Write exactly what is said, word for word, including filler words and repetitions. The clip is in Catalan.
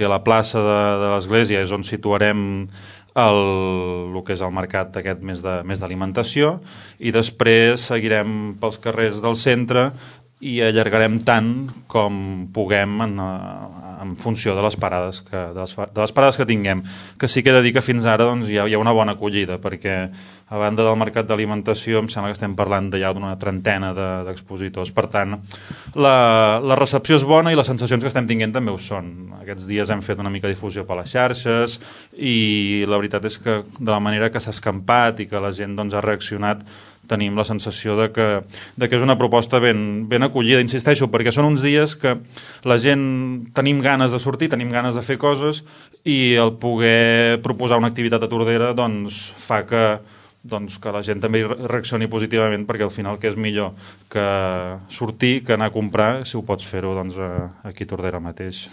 a la plaça de, de l'església és on situarem el, el que és el mercat aquest més de, més d'alimentació, i després seguirem pels carrers del centre i allargarem tant com puguem en, en funció de les parades que, de les, de les parades que tinguem, que sí que he de dir que fins ara doncs, hi, ha, hi ha una bona acollida, perquè a banda del mercat d'alimentació em sembla que estem parlant de ja d'una trentena de, d'expositors. Per tant, la, la recepció és bona i les sensacions que estem tinguent també ho són. Aquests dies hem fet una mica de difusió per les xarxes i la veritat és que de la manera que s'ha escampat i que la gent doncs, ha reaccionat, tenim la sensació de que, de que és una proposta ben, ben acollida, insisteixo, perquè són uns dies que la gent tenim ganes de sortir, tenim ganes de fer coses, i el poder proposar una activitat a Tordera doncs, fa que, doncs, que la gent també reaccioni positivament, perquè al final què és millor que sortir, que anar a comprar, si ho pots fer-ho doncs, aquí a Tordera mateix.